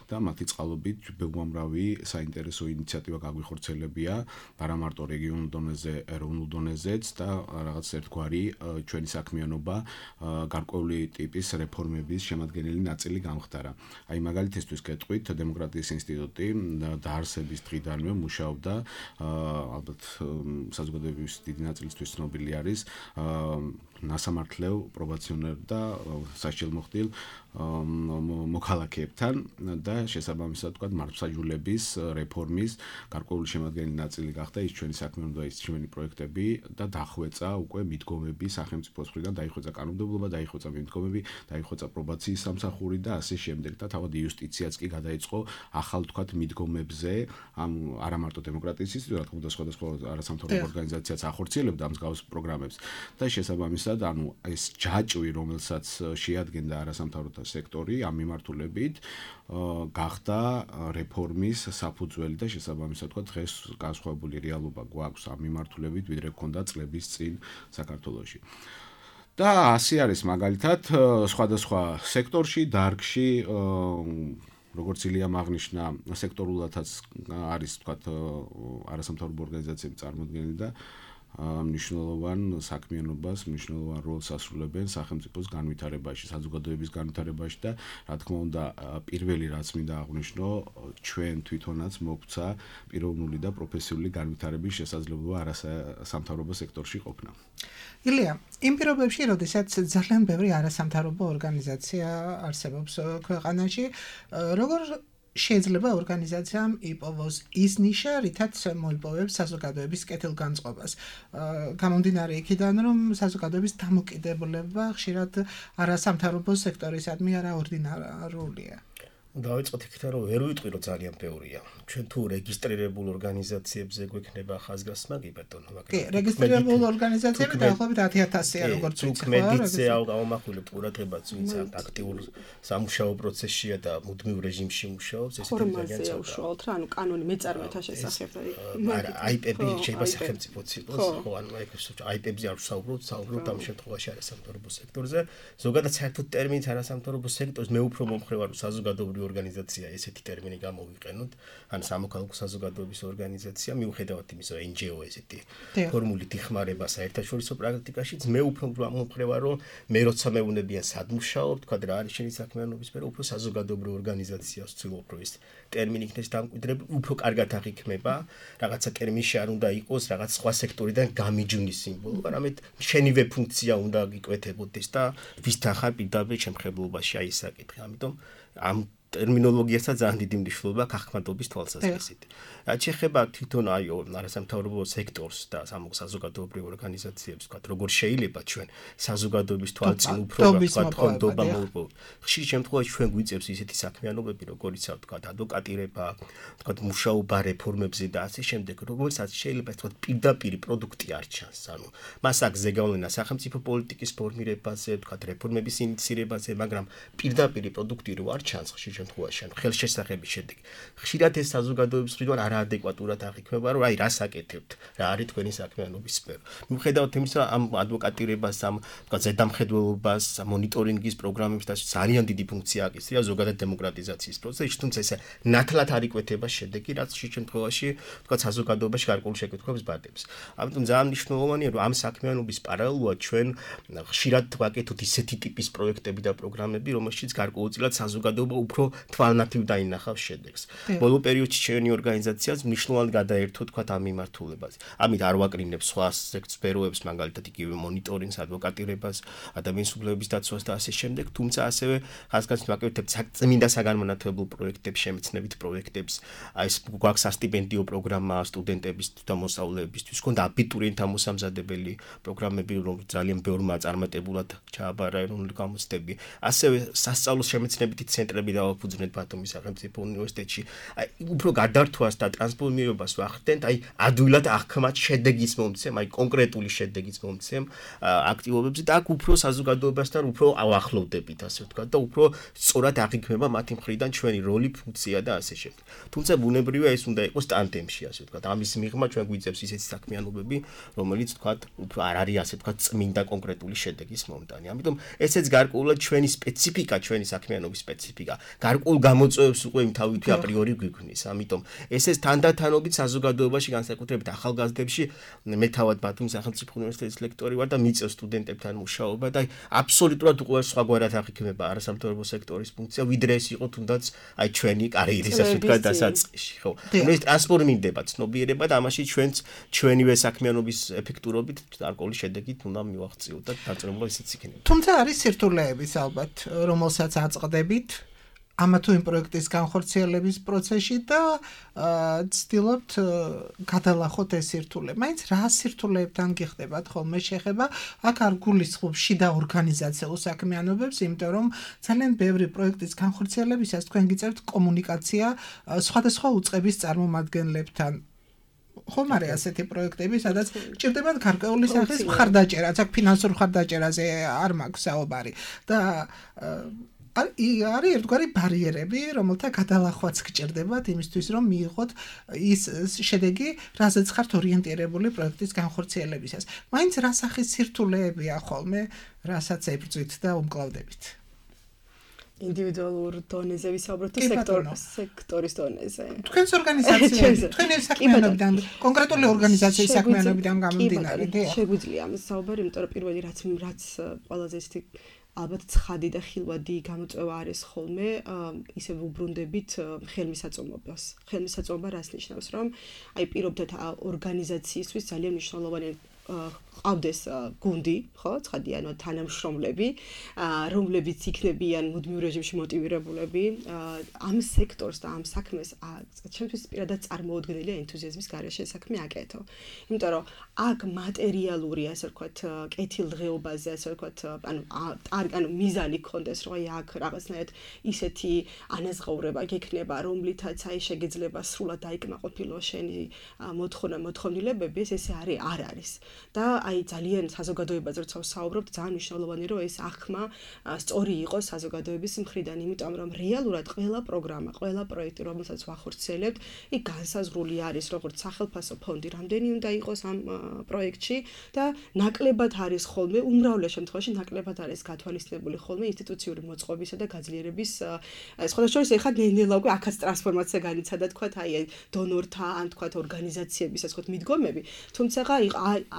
და მათი წყალობით უამრავი საინტერესო ინიციატივა გაგვიხორცელებია, არა მარტო რეგიონულ დონეზე, ეროვნულ დონეზეც და რაღაც ერთგვარი ჩვენი საქმიანობა გარკვეული ტიპის რეფორმების შემადგენელი ნაწილი გამხდარა. აი მაგალითისთვის გეტყვით, დემოკრატიის ინსტიტუტი დაარსების დღიდანვე მუშაობდა, ალბათ საზოგადოების დიდი ნაწილისთვის ცნობილი არის ნასამართლელ პრობაციონერ და სასჯელმოხდილ მოქალაქეებთან და შესაბამისად თქვა მართლმსაჯულების რეფორმის გარკვეული შემადგენელი ნაწილი გახდა ის ჩვენი საქმიანობა, ის ჩვენი პროექტები და დახვეწა უკვე მიდგომები სახელმწიფოს მხრიდან, დაიხვეწა კანონმდებლობა, დაიხვეწა მიდგომები, დაიხვეწა პრობაციის სამსახური და ასე შემდეგ და თავად იუსტიციაც კი გადაიწყო ახალ თქვა მიდგომებზე, არა მარტო დემოკრატიის ინსტიტუტი, რა თქმა უნდა სხვადასხვა არასამთავრობო ორგანიზაციაც ახორციელებდა ამ მსგავს პროგრამებს და შესაბამისად ანუ ეს ჯაჭვი, რომელსაც შეადგენდა არასამთავრობო სექტორი ამ მიმართულებით გახდა რეფორმის საფუძველი და შესაბამისად თქვა დღეს განსხვავებული რეალობა გვაქვს ამ მიმართულებით, ვიდრე გქონდა წლების წინ საქართველოში. და ასე არის მაგალითად სხვადასხვა სექტორში, დარგში როგორც ილიამ აღნიშნა, სექტორულადაც არის თქვა არასამთავრობო ორგანიზაციები წარმოდგენილი და მნიშვნელოვან საქმიანობას, მნიშვნელოვან როლს ასრულებენ სახელმწიფოს განვითარებაში, საზოგადოების განვითარებაში და რა თქმა უნდა, პირველი რაც მინდა აღვნიშნო, ჩვენ თვითონაც მოგვცა პიროვნული და პროფესიული განვითარების შესაძლებლობა არასამთავრობო სექტორში ყოფნა. ილია, იმ პირობებში, როდესაც ძალიან ბევრი არასამთავრობო ორგანიზაცია არსებობს ქვეყანაში, როგორ შეიძლება ორგანიზაციამ იპოვოს ის ნიშა, რითაც მოიპოვებს საზოგადოების კეთილგანწყობას. გამომდინარე იქიდან, რომ საზოგადოების დამოკიდებულება ხშირად არასამთავრობო სექტორისადმი არაორდინარულია. დავიწყოთ იქიდან, რომ ვერ ვიტყვი, რომ ძალიან ბევრია. ჩვენ თუ რეგისტრირებულ ორგანიზაციებზე გვექნება ხაზგასმა, კი ბატონო, მაგრამ კი, რეგისტრირებულ ორგანიზაციები დაახლოებით 10,000-ია, როგორც ვიცი, ხო? მედიცე ავამახვილებთ ყურადღებას, ვინც აქტიურ სამუშაო პროცესშია და მუდმივ რეჟიმში მუშაობს, ეს ძალიან ძალიან უშუალოდ რა, ანუ კანონი მეწარმეთა შესახებ. არა, IP-ები შეიძლება სახელმწიფოც იყოს, ხო, ანუ IP-ებზე არ ვსაუბრობთ ამ შემთხვევაში არასამთავრობო სექტორზე. ზოგადად საერთოდ ტერმინით არასამთავრობო სექტორს მე უფრო მომხრევარ საზოგადოებრივი ორგანიზაცია ესეთი ტერმინი გამოვიყენოთ, ან სამოქალაქო საზოგადოების ორგანიზაცია, მიუხედავად იმისა, რომ NGO ესეთი ფორმულით იხმარება საერთაშორისო პრაქტიკაშიც, მე უფრო მომხრევარ, რომ მე როცა მეუნებიან სადმუშაობ, თქვა რა არის შენი საქმიანობის სფერო, უფრო საზოგადოებრივ ორგანიზაციას ვცდილობ, რომ ეს ტერმინი იქნეს დამკვიდრებული, უფრო კარგად აღიქმება, რაღაცა ტერმინში არ უნდა იყოს რაღაც სხვა სექტორიდან გამიჯვნის სიმბოლო, არამედ შენივე ფუნქცია უნდა გიკვეთებოდეს და ვისთან ხარ პირდაპირ შემხებლობაში აი ეს საკითხი. ამიტომ ამ ტერმინოლოგიასაც ძალიან დიდი მნიშვნელობა გახმადობის თვალსაზრისით. რაც შეეხება თვითონ აი არასამთავრობო სექტორს და საზოგადოებრივ ორგანიზაციებს, ვთქვათ, როგორ შეიძლება ჩვენ საზოგადოების თვალწინ უფრო ვთქვათ, ხონდობა მოვიპოვოთ. ხშირ შემთხვევაში ჩვენ გვიწევს ისეთი საქმიანობები, როგორიცაა ვთქვათ, ადვოკატირება, ვთქვათ, მუშაობა რეფორმებზე და ასე შემდეგ, როგორცაც შეიძლება ვთქვათ, პირდაპირ პროდუქტი არ ჩანს. ანუ მას აქვს ზეგავლენა სახელმწიფო პოლიტიკის ფორმირებაზე, ვთქვათ, რეფორმების ინიციირებაზე, მაგრამ პირდაპირ პროდუქტი რო არ ჩანს ხშირ შემთხვევაში, ანუ ხელშესახების შედეგი. ხშირად ეს საზოგადოების მხრიდან არაადეკვატურად აღიქმება, რომ აი რას აკეთებთ, რა არის თქვენი საქმიანობის სფერო. მიუხედავად იმისა, ამ ადვოკატირებას, ამ ვთქვათ, ზედამხედველობას, მონიტორინგის პროგრამებს და ძალიან დიდი ფუნქცია აკისრია ზოგადად დემოკრატიზაციის პროცესში, თუმცა ესე ნათლად არ იკვეთება შედეგი, რაც ხშირ შემთხვევაში, ვთქვათ, საზოგადოებაში გარკვეულ შეკითხვებს ბადებს. ამიტომ ძალიან მნიშვნელოვანია, რომ ამ საქმიანობის პარალელურად ჩვენ ხშირად ვაკეთოთ ისეთი ტიპის პროექტები და პროგრამები, რომელშიც გარკვეულწილად საზოგადოება უფრო თვალნათივ დაინახავს შედეგს. ბოლო პერიოდში ჩვენი ორგანიზაციაც მნიშვნელოვნად გადაერთო თქვა ამ მიმართულებაზე. ამით არ ვაკრინებ სხვა სფეროებს, მაგალითად იგივე მონიტორინგს, ადვოკატირებას, ადამიანის უფლებების დაცვას და ასე შემდეგ, თუმცა ასევე ხაზგასმით ვაკეთებთ წმინდა საგანმანათლებლო პროექტებს, შემეცნებით პროექტებს, აი ეს გვაქვს სასტიპენდიო პროგრამა სტუდენტების და მოსწავლეებისთვის, გქონდა აბიტურიენტთა მოსამზადებელი პროგრამები, რომ ძალიან ბევრმა წარმატებულად ჩააბარა ეროვნული გამოცდები. ასევე სასწავლო შემეცნებითი ცენტრები და დაფუძნეთ ბათუმის სახელმწიფო უნივერსიტეტში. აი უფრო გადართვას და ტრანსფორმირებას ვახდენთ, აი ადვილად აღქმათ შედეგის მომცემ, აი კონკრეტული შედეგის მომცემ აქტივობებზე და აქ უფრო საზოგადოებასთან უფრო ავახლოვდებით, ასე ვთქვათ და უფრო სწორად აღიქმება მათი მხრიდან ჩვენი როლი, ფუნქცია და ასე შემდეგ. თუმცა ბუნებრივია ეს უნდა იყოს ტანდემში, ასე ვთქვათ. ამის მიღმა ჩვენ გვიძებს ისეთი საქმიანობები, რომელიც ვთქვათ, უფრო არ არის ასე ვთქვათ წმინდა კონკრეტული შედეგის მომტანი. ამიტომ ესეც გარკვეულად ჩვენი სპეციფიკა, ჩვენი საქმიანობის სპეციფიკა, გარკვეულ გამოწვევებს უკვე თავითვე აპრიორი გვიქმნის. ამიტომ ესეც თანდათანობით საზოგადოებაში, განსაკუთრებით ახალგაზრდებში, მე თავად ბათუმის სახელმწიფო უნივერსიტეტის ლექტორი ვარ და მიწევს სტუდენტებთან მუშაობა და აბსოლუტურად უკვე სხვაგვარად აღიქმება არასამთავრობო სექტორის ფუნქცია, ვიდრე ეს იყო თუნდაც აი ჩვენი კარიერის ასე ვთქვათ დასაწყისში, ხო? ეს ტრანსფორმირდება ცნობიერება და ამაში ჩვენივე საქმიანობის ეფექტურობით გარკვეული შედეგით უნდა მივაღწიოთ და დაწესებულა ისიც იქნება. თუმცა არის სირთულეებიც ალბათ, რომელსაც აწყდებით ამა თუ იმ პროექტის განხორციელების პროცესში და ცდილობთ გადალახოთ ეს სირთულე. მაინც რა სირთულეებთან გიხდებათ ხოლმე შეხება? აქ არ გულისხმობ შიდა ორგანიზაციულ საქმიანობებს, იმიტომ რომ ძალიან ბევრი პროექტის განხორციელებისას თქვენ გიწერთ კომუნიკაცია სხვადასხვა უწყების წარმომადგენლებთან. ხომ არის ასეთი პროექტები, სადაც ჭირდებათ გარკვეული სახის მხარდაჭერა, აქ ფინანსურ მხარდაჭერაზე არ მაქვს საუბარი და არის ერთგვარი ბარიერები, რომელთა გადალახვაც გჭირდებათ იმისთვის, რომ მიიღოთ ის შედეგი, რაზეც ხართ ორიენტირებული პროექტის განხორციელებისას. მაინც რა სახის სირთულეებია ხოლმე, რასაც ებრძვით და უმკლავდებით? ინდივიდუალურ დონეზე ვისაუბროთ თუ სექტორის დონეზე. თქვენს ორგანიზაციაში, თქვენი საქმიანობიდან, კონკრეტული ორგანიზაციის საქმიანობიდან გამომდინარე, შეგვიძლია ამის საუბარი, იმიტომ რომ პირველი რაც ყველაზე ისეთი ალბათ ცხადი და ხილვადი გამოწვევა არის ხოლმე, ისე ვუბრუნდებით ხელმისაწვდომობას. ხელმისაწვდომობა რას ნიშნავს, რომ აი პირობდეთ ორგანიზაციისთვის ძალიან მნიშვნელოვანი ყავდეს გუნდი, ხო, ცხადიანო თანამშრომლები, რომლებიც იქნებიან მუდმივ რეჟიმში მოტივირებულები, ამ სექტორს და ამ საქმეს ჩემთვის პირადად წარმოუდგენელი ენთუზიაზმის გარეშე საქმე აკეთო. იმიტომ რომ აქ მატერიალური, ასე ვთქვათ, კეთილდღეობაზე, ასე ვთქვათ, ანუ მიზანი გქონდეს, რომ აი აქ რაღაცნაირად ისეთი ანაზღაურება გექნება, რომლითაც აი შეგეძლება სრულად დაიკმაყოფილო შენი მოთხოვნილებები, ესე არ არის. და აი ძალიან საზოგადოებაზე როცა ვსაუბრობთ, ძალიან მნიშვნელოვანი რომ ეს აღქმა სწორი იყოს საზოგადოების მხრიდან, იმიტომ რომ რეალურად ყველა პროგრამა, ყველა პროექტი, რომელსაც ვახორციელებთ, იქ განსაზღვრული არის როგორც სახელმწიფო ფონდი, რამდენი უნდა იყოს ამ პროექტში და ნაკლებად არის ხოლმე, უმრავლეს შემთხვევაში ნაკლებად არის გათვალისწინებული ხოლმე ინსტიტუციური მოწყობისა და გაძლიერების სხვადასხვა ეხლა ნელ-ნელა უკვე აქაც ტრანსფორმაცია განიცადა, თქვათ აი დონორთა ან თქვათ ორგანიზაციების ასე ვთქვათ მიდგომები, თუმცა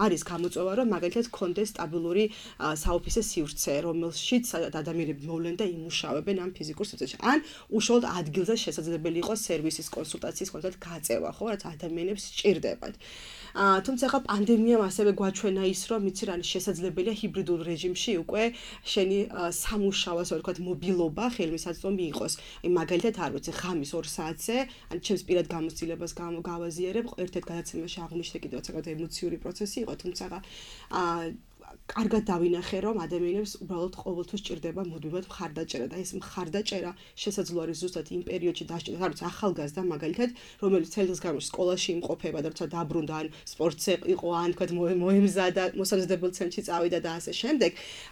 არის გამოწვევა, რომ მაგალითად კონდეს სტაბილური საოფისე სივრცე, რომელშიც ადამიანები მოვლენ და იმუშავებენ ამ ფიზიკურ სივრცეში. ან უშუალოდ ადგილზე შესაძლებელი იყოს სერვისის კონსულტაციის კონკრეტ გაწევა, ხო, რაც ადამიანებს სჭირდებათ. თუმცა ხა პანდემიამ ასევე გვაჩვენა ის, რომ იცი რა შესაძლებელია ჰიბრიდულ რეჟიმში უკვე შენი სამუშაო, ასე ვთქვათ, მობილობა ხელმისაწვდომი იყოს. აი მაგალითად არ ვიცი, ღამის 2 საათზე, ან ჩემს პირად გამოცდილებას გავაზიარებ, ერთ-ერთ გადაცემაში აღვნიშნე კიდევ საკმაოდ ემოციური პროცესი იყო, თუმცა კარგად დავინახე, რომ ადამიანებს უბრალოდ ყოველთვის ჭირდება მუდმივად მხარდაჭერა და ეს მხარდაჭერა შესაძლოა არის ზუსტად იმ პერიოდში დასჭირდეს, არ ვიცი, ახალგაზრდა მაგალითად, რომელიც წელს განმავლობაში სკოლაში იმყოფება და როცა დაბრუნდა ან სპორტზე იყო, ან თქვათ მოემზადა, მოსამზადებელ ცენტრში წავიდა და ასე შემდეგ,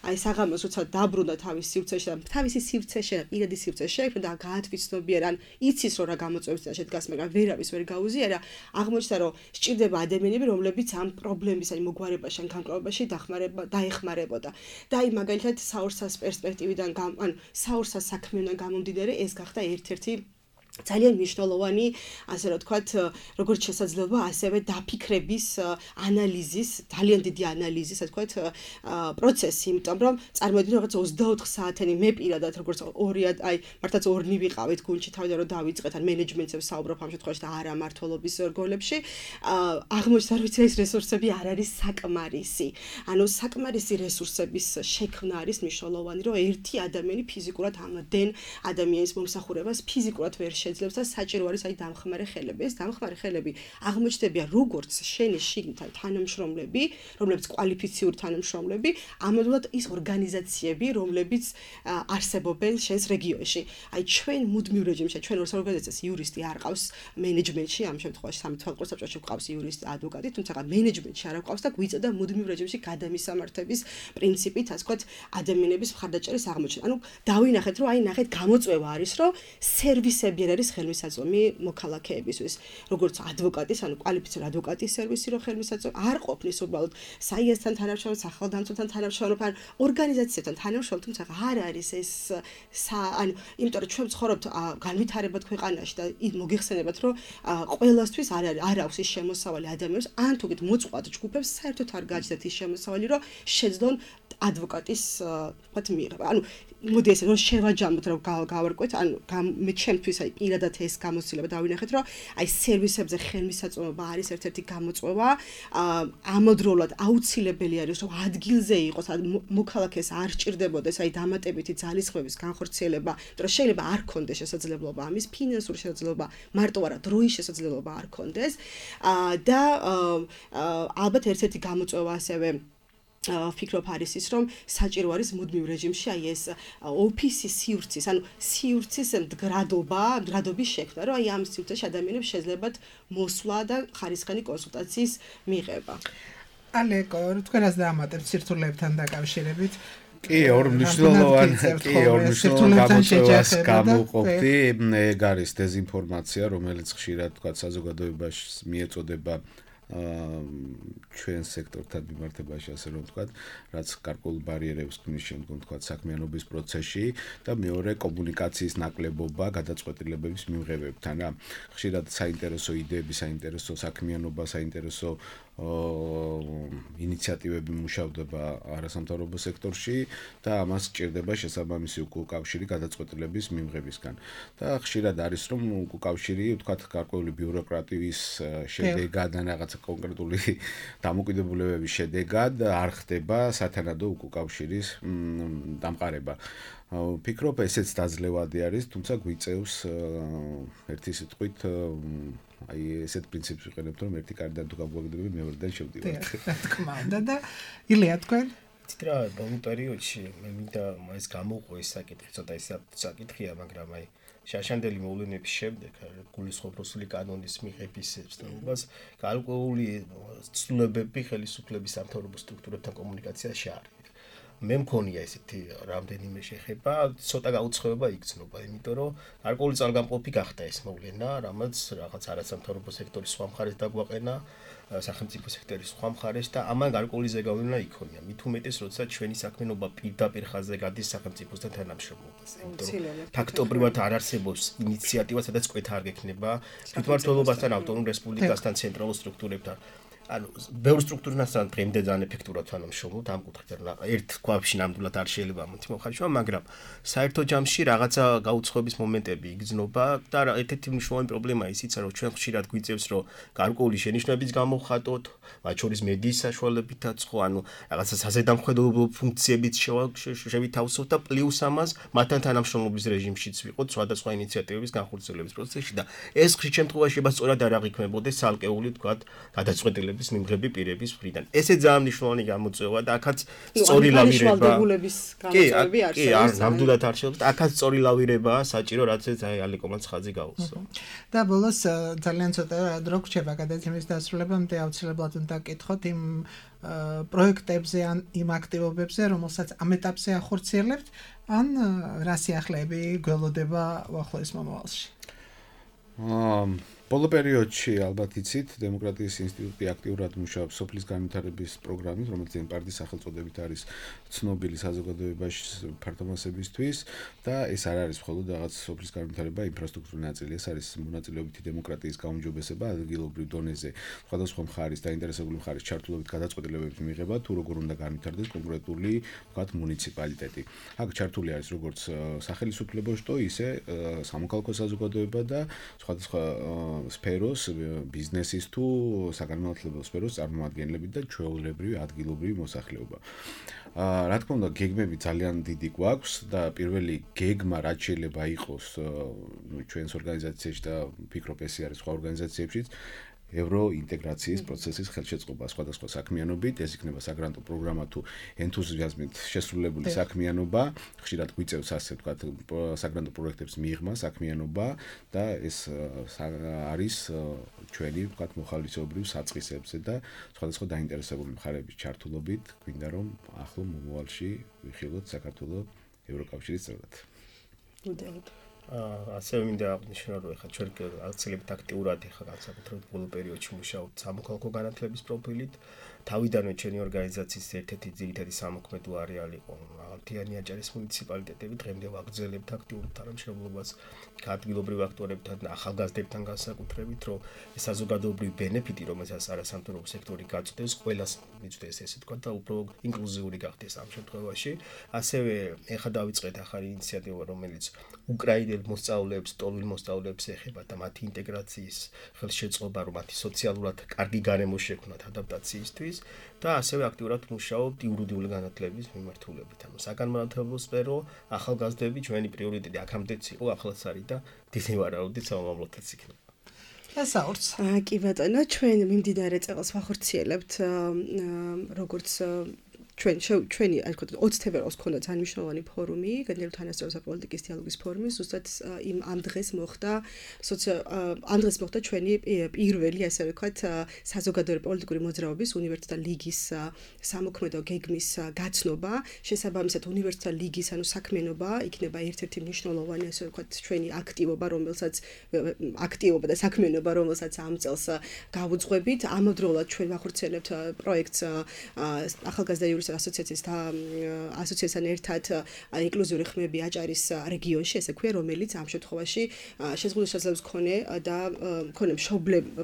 აი საღამოს როცა დაბრუნდა თავის სივრცეში და თავისი სივრცეში, პირადი სივრცეში შეექმნა და გაათვითცნობიერა, ან იცის რომ რა გამოწვევებს და შედგას, მაგრამ ვერავის ვერ გაუზიარა, აღმოჩნდა რომ სჭირდება ადამიანები, რომლებიც ამ პრობლემის ან მოგვარებაში ან განკრობებაში დაეხმარებოდა. და აი მაგალითად საორსას პერსპექტივიდან ანუ საორსას საქმიდან გამომდინარე ეს გახდა ერთ-ერთი ძალიან მნიშვნელოვანი, ასე რომ ვთქვათ, როგორც შესაძლებლობა, ასევე დაფიქრების ანალიზის, ძალიან დიდი ანალიზის, ასე ვთქვათ, პროცესი, იმიტომ რომ წარმოიდგინე რაღაც 24 საათიანი მე პირადად როგორც აი მართლაც ორნი ვიყავით გუნდში თავიდან რომ დავიწყეთ ან მენეჯმენტზე ვსაუბრობ ამ შემთხვევაში და არა მართლობის რგოლებში, აღმოჩნდა რომ ეს რესურსები არ არის საკმარისი. ანუ საკმარისი რესურსების შექმნა არის მნიშვნელოვანი, რომ ერთი ადამიანი ფიზიკურად ამდენ ადამიანის მომსახურებას ფიზიკურად ვერ შეძლებს და საჭირო არის აი დამხმარე ხელები. ეს დამხმარე ხელები აღმოჩნდებიან როგორც შენი შიგნითა თანამშრომლები, რომლებიც კვალიფიციური თანამშრომლები, ამავდროულად ის ორგანიზაციები, რომლებიც არსებობენ შენს რეგიონში. აი ჩვენ მუდმივ რეჟიმში, ჩვენ ორგანიზაციას იურისტი არ ყავს მენეჯმენტში, ამ შემთხვევაში სამართალყო საბჭოში ყავს იურისტი, ადვოკატი, თუმცა მენეჯმენტში არ ყავს და გვიწევდა მუდმივ რეჟიმში გადამისამართების პრინციპით, ასე ვთქვათ, ადამიანების მხარდაჭერის აღმოჩენა. ანუ დავინახეთ, რომ აი ნახეთ გამოწვევა არის, რომ სერვისები არის ხელმისაწვდომი მოქალაქეებისთვის, როგორც ადვოკატის, ანუ კვალიფიციური ადვოკატის სერვისი, რომ ხელმისაწვდომი არ ყოფნის უბრალოდ საიესთან თანამშრომლობ, სახელდამცველთან თანამშრომლობ, ან ორგანიზაციებთან თანამშრომლობ, თუმცა არ არის ეს ანუ იმიტომ რომ ჩვენ ვცხოვრობთ განვითარებად ქვეყანაში და მოგიხსენებათ, რომ ყველასთვის არ აქვს ის შემოსავალი ადამიანებს, ან თუგით მოწყვლად ჯგუფებს საერთოდ არ გააჩნდათ ის შემოსავალი, რომ შეძლონ ადვოკატის ვთქვათ მიღება. ანუ მოდი ესე რომ შევაჯამოთ, რომ გავარკვეთ, ანუ მე ჩემთვის აი პირადად ეს გამოცდილება დავინახეთ, რომ აი სერვისებზე ხელმისაწვდომობა არის ერთ-ერთი გამოწვევა. ამავდროულად აუცილებელი არის, რომ ადგილზე იყოს, მოქალაქეს არ სჭირდებოდეს აი დამატებითი ძალისხმევის განხორციელება, იმიტომ რომ შეიძლება არ ქონდეს შესაძლებლობა ამის, ფინანსური შესაძლებლობა, მარტო არა დროის შესაძლებლობა არ ქონდეს. და ალბათ ერთ-ერთი გამოწვევა ასევე ვფიქრობ არის ის, რომ საჭირო არის მუდმივ რეჟიმში აი ეს ოფისის სივრცის, ანუ სივრცის მდგრადობის შექმნა, რომ აი ამ სივრცეში ადამიანებს შეძლებათ მოსვლა და ხარისხიანი კონსულტაციის მიღება. ალეკო, თქვენას დაამატებთ სირთულეებთან დაკავშირებით. კი, ორ მნიშვნელოვან გამოწვევას გამოვყოფდი. ეგ არის დეზინფორმაცია, რომელიც ხშირად თქვა საზოგადოებაში მიეწოდება ჩვენ სექტორთან მიმართებაში, ასე რომ ვთქვათ, რაც გარკვეულ ბარიერებს ქმნის შემდგომ ვთქვათ საქმიანობის პროცესში და მეორე კომუნიკაციის ნაკლებობა გადაწყვეტილებების მიღებებთან. ხშირად საინტერესო იდეები, საინტერესო საქმიანობა, საინტერესო ინიციატივები მუშავდება არასამთავრობო სექტორში და ამას სჭირდება შესაბამისი უკავშირი გადაწყვეტილების მიღებისგან. და ხშირად არის რომ უკავშირი, ვთქვათ, გარკვეული ბიუროკრატიის შედეგად ან რაღაცა კონკრეტული დამოკიდებულებების შედეგად არ ხდება სათანადო უკავშირის დამყარება. ვფიქრობ, ესეც დაძლევადი არის, თუმცა გვიწევს ერთი სიტყვით აი ესეთ პრინციპს ვიყენებთ, რომ ერთი კარიდან თუ გამოვაგდები, მეორედან შევდივართ. რა თქმა უნდა და ილია თქვენ? ციტრა ბოლო პერიოდში მე მინდა ეს გამოვყო ეს საკითხი, ცოტა ის საკითხია, მაგრამ აი შაშანდელი მოვლენების შემდეგ გულისხმობ რუსული კანონის მიღების ცნობას, გარკვეული ცვლილებები ხელისუფლების სამთავრობო სტრუქტურებთან კომუნიკაციაში არის. მე მქონია ესეთი რამდენიმე შეხება, ცოტა გაუცხოება იგრძნობა, იმიტომ რომ გარკვეული ძალგამყოფი გახდა ეს მოვლენა, რამაც რაღაც არასამთავრობო სექტორის სხვა მხარეს დაგვაყენა, სახელმწიფო სექტორის სხვა მხარეს და ამან გარკვეული ზეგავლენა იქონია. მით უმეტეს, როცა ჩვენი საქმიანობა პირდაპირ ხაზზე გადის სახელმწიფოსთან თანამშრომლობაზე. იმიტომ რომ ფაქტობრივად არ არსებობს ინიციატივა, სადაც კვეთა არ გექნება თვითმმართველობასთან, ავტონომ რესპუბლიკასთან, ცენტრალურ სტრუქტურებთან. ანუ ბევრ სტრუქტურასთან დღემდე ძალიან ეფექტურად თანამშრომლობთ ამ კუთხით, რომ ერთ ქვაბში ნამდვილად არ შეიძლება ამით მოხარშვა, მაგრამ საერთო ჯამში რაღაცა გაუცხოების მომენტები იგრძნობა და ერთ-ერთი მნიშვნელოვანი პრობლემა ისიც, რომ ჩვენ ხშირად გვიწევს, რომ გარკვეული შენიშვნებიც გამოვხატოთ, მათ შორის მედიის საშუალებითაც ხო, ანუ რაღაცა საზედამხედველობო ფუნქციებიც შევითავსოთ და პლუს ამას მათთან თანამშრომლობის რეჟიმშიც ვიყოთ სხვადასხვა ინიციატივების განხორციელების პროცესში და ეს ხშირ შემთხვევაში სწორად არ აღიქმებოდეს ცალკეული თქვა გადაწყვეტილების მიმღები პირების მხრიდან. ესე ძალიან მნიშვნელოვანი გამოწვევა და აქაც სწორი ლავირება. კი, ნამდვილად არ შეიძლება. აქაც სწორი ლავირებაა საჭირო, რაც აი ალეკომაც ხაზი გაუსვა. და ბოლოს ძალიან ცოტა დრო გრჩება გადაცემის დასრულებამდე აუცილებლად უნდა გკითხოთ იმ პროექტებზე ან იმ აქტივობებზე, რომელსაც ამ ეტაპზე ახორციელებთ, ან რა სიახლეები გველოდება უახლოეს მომავალში. ბოლო პერიოდში ალბათ იცით, დემოკრატიის ინსტიტუტი აქტიურად მუშაობს სოფლის განვითარების პროგრამით, რომელიც პარტიის სახელწოდებით არის ცნობილი საზოგადოებაში ფართომასებისთვის და ეს არ არის მხოლოდ რაღაც სოფლის განვითარება, ინფრასტრუქტურის ნაწილი, ეს არის მონაწილეობითი დემოკრატიის გაუმჯობესება ადგილობრივ დონეზე, სხვადასხვა მხარის დაინტერესებული მხარის ჩართულობით გადაწყვეტილებების მიღება, თუ როგორ უნდა განვითარდეს კონკრეტული, ვთქვათ, მუნიციპალიტეტი. აქ ჩართული არის როგორც სახელმწიფო შტო, ისე სამოქალაქო საზოგადოება და სხვადასხვა სფეროს, ბიზნესის თუ საგანმანათლებლო სფეროს წარმომადგენლებით და ჩვეულებრივი ადგილობრივი მოსახლეობა. რა თქმა უნდა, გეგმები ძალიან დიდი გვაქვს და პირველი გეგმა რაც შეიძლება იყოს ჩვენს ორგანიზაციაში და ფიქრობ ესე არის სხვა ორგანიზაციებშიც ევროინტეგრაციის პროცესის ხელშეწყობა სხვადასხვა საქმიანობით, ეს იქნება საგრანტო პროგრამა თუ ენთუზიაზმით შესრულებული საქმიანობა, ხშირად გვიწევს ასე ვთქვათ საგრანტო პროექტებს მიღმა საქმიანობა და ეს არის ჩვენი ვთქვათ მოხალისეობრივ საწყისებზე და სხვადასხვა დაინტერესებული მხარეების ჩართულობით გვინდა რომ ახლო მომავალში ვიხილოთ საქართველოს ევროკავშირის წევრად. ასევე მინდა აღნიშნო, რომ ეხლა ჩვენ აქციებით აქტიურად ეხლა განსაკუთრებით ბოლო პერიოდში მუშაობთ სამოქალაქო განათლების პროფილით. თავიდანვე ჩვენი ორგანიზაციის ერთ-ერთი ძირითადი სამოქმედო არეალი იყო მაღალმთიანი აჭარის მუნიციპალიტეტები. დღემდე ვაგრძელებთ აქტიურ თანამშრომლობას ადგილობრივ აქტუარებთან და ახალგაზრდებთან განსაკუთრებით, რომ ეს საზოგადოებრივი ბენეფიტი, რომელსაც არასამთავრობო სექტორი გაწოდებს, ყველას მიწვდეს ესე ვთქვათ და უფრო ინკლუზიური გახდეს ამ შემთხვევაში. ასევე ეხლა დავიწყეთ ახალი ინიციატივა, რომელიც უკრაინელ მოსწავლეებს, ტოლვილ მოსწავლეებს ეხება და მათი ინტეგრაციის ხელშეწყობა, რომ მათი სოციალურად კარგი გარემო შექმნათ ადაპტაციისთვის და ასევე აქტიურად მუშაობთ იურიდიული განათლების მიმართულებით. ანუ საგანმანათლებლო სფერო, ახალგაზრდები ჩვენი პრიორიტეტი აქამდეც იყო, ახალაც არის და დიდი ვარაუდით სამომავლოდაც იქნება. ესაურს. კი ბატონო, ჩვენ მიმდინარე წელს ვახორციელებთ როგორც ჩვენი ასე ვთქვათ 20 თებერვალს ქონდა ძალიან მნიშვნელოვანი ფორუმი, განჯერულ თანასწორობის პოლიტიკის დიალოგის ფორუმი, ზუსტად ამ დღეს მოხდა ჩვენი პირველი ასე ვთქვათ საზოგადოებრივი პოლიტიკური მოძრაობის უნივერსიტეტთა ლიგის სამოქმედო გეგმის გაცნობა. შესაბამისად უნივერსიტეტთა ლიგის ანუ საქმიანობა იქნება ერთ-ერთი მნიშვნელოვანი ასე ვთქვათ ჩვენი აქტივობა და საქმიანობა, რომელსაც ამ წელს გავუძღვებით. ამავდროულად ჩვენ ვახორციელებთ პროექტს ახალგაზრდა ასოციაციასთან ერთად ინკლუზიური ხმები აჭარის რეგიონში, ესე ქვია, რომელიც ამ შემთხვევაში შეზღუდული შესაძლებლობის მქონე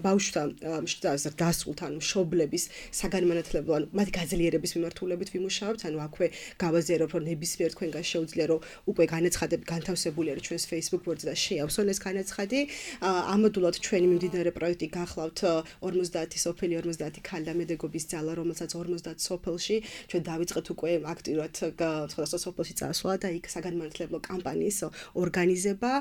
ბავშვთა დასრულთან მშობლების საგანმანათლებლო ან მათი გაძლიერების მიმართულებით ვიმუშაობთ. ანუ აქვე გავაზიარებთ, რომ ნებისმიერ თქვენგან შეუძლია, რომ უკვე განაცხადები განთავსებული არის ჩვენს Facebook გვერდზე და შეავსონ ეს განაცხადი. ამოდულად ჩვენი მიმდინარე პროექტი გახლავთ 50 სოფელი, 50 ქალი და მედეგობის ძალა, რომელსაც 50 სოფელში ჩვენ დავიწყეთ უკვე აქტიურად სხვადასხვა სოფელში წასვლა და იქ საგანმანათლებლო კამპანიის ორგანიზება.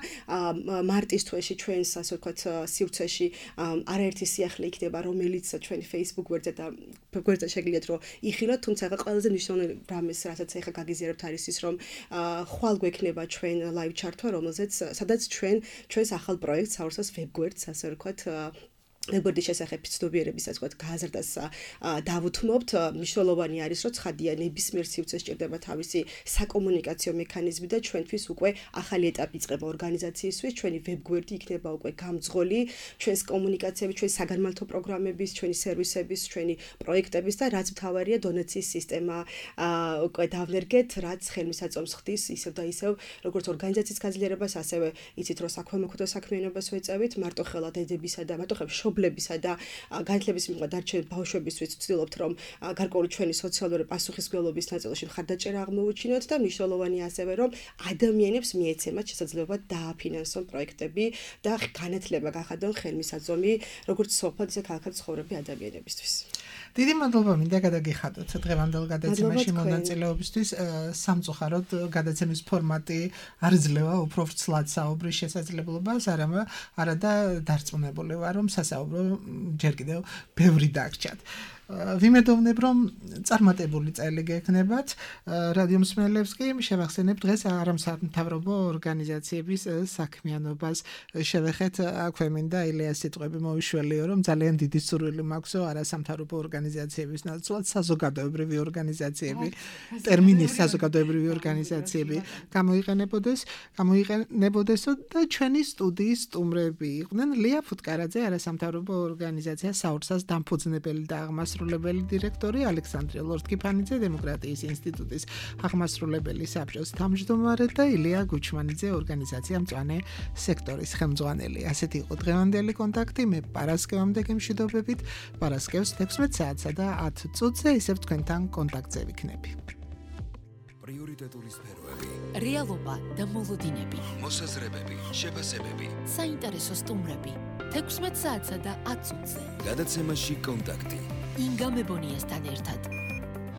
მარტის თვეში ჩვენს ასე ვთქვათ სივრცეში არაერთი სიახლე იქნება, რომელიც ჩვენი Facebook გვერდზე შეგიძლიათ რომ იხილოთ, თუმცა ყველაზე მნიშვნელოვანი რამეს, რასაც ახლა გაგიზიარებთ არის ის, რომ ხვალ გვექნება ჩვენ live ჩართვა, სადაც ჩვენს ახალ პროექტს საურსას web გვერდს ასე ვთქვათ გვერდის შესახებ ცნობიერების ასე ვთქვათ გაზრდას დავუთმობთ. მნიშვნელოვანი არის, რომ ცხადია ნებისმიერ სივრცეს სჭირდება თავისი საკომუნიკაციო მექანიზმი და ჩვენთვის უკვე ახალი ეტაპი იწყება ორგანიზაციისთვის. ჩვენი ვებ გვერდი იქნება უკვე გამძღოლი ჩვენს კომუნიკაციების, ჩვენი საგანმანათლებლო პროგრამების, ჩვენი სერვისების, ჩვენი პროექტების და რაც მთავარია დონაციის სისტემა უკვე დავნერგეთ, რაც ხელმისაწვდომს ხდის ისევ და ისევ როგორც ორგანიზაციის გაძლიერებას, ასევე იცით რომ საქველმოქმედო საქმიანობას ვეწევით, მარტოხელა დედებისა და მარტოხელა მშობლებისა და განათლების მიღება დარჩენილ ბავშვებისთვის ვცდილობთ, რომ გარკვეული ჩვენი სოციალური პასუხისმგებლობის ნაწილში მხარდაჭერა აღმოვუჩინოთ და მნიშვნელოვანია ასევე, რომ ადამიანებს მიეცემათ შესაძლებლობა დააფინანსონ პროექტები და განათლება გახადონ ხელმისაწვდომი როგორც სოფლად, ისე ქალაქად ცხოვრები ადამიანებისთვის. დიდი მადლობა მინდა გადაგიხადოთ დღევანდელ გადაცემაში მონაწილეობისთვის. სამწუხაროდ გადაცემის ფორმატი არ ძლევა უფრო ვრცლად საუბრის შესაძლებლობას, არადა დარწმუნებული ვარ, რომ სასაუბრო ჯერ კიდევ ბევრი დაგჭათ. ვიმედოვნებ, რომ წარმატებული წელი გექნებათ. რადიო მსმენელებს კი შევახსენებ დღეს არასამთავრობო ორგანიზაციების საქმიანობას შევეხეთ. აქვე მინდა ილიას სიტყვები მოვიშველიო, რომ ძალიან დიდი სურვილი მაქვსო არასამთავრობო ორგანიზაციების ნაცვლად საზოგადოებრივი ორგანიზაციები, ტერმინი საზოგადოებრივი ორგანიზაციები გამოიყენებოდესო და ჩვენი სტუდიის სტუმრები იყვნენ ლია ფუტკარაძე, არასამთავრობო ორგანიზაცია საურსას დამფუძნებელი და აღმასრულებელი დირექტორი, ალექსანდრე ლორთქიფანიძე, დემოკრატიის ინსტიტუტის აღმასრულებელი საბჭოს თავმჯდომარე და ილია გუჩმანიძე, ორგანიზაცია მწვანე სექტორის ხელმძღვანელი. ასეთი იყო დღევანდელი კონტაქტი. მე პარასკევამდე გემშვიდობებით. პარასკევს 16 საათსა და 10 წუთზე ისევ თქვენთან კონტაქტზე ვიქნები. პრიორიტეტული სფეროები, რეალობა და მოლოდინები, მოსაზრებები, შეფასებები. საინტერესო სტუმრები 16 საათსა და 10 წუთზე. გადაცემაში კონტაქტი. ინგა მებონიასთან ერთად.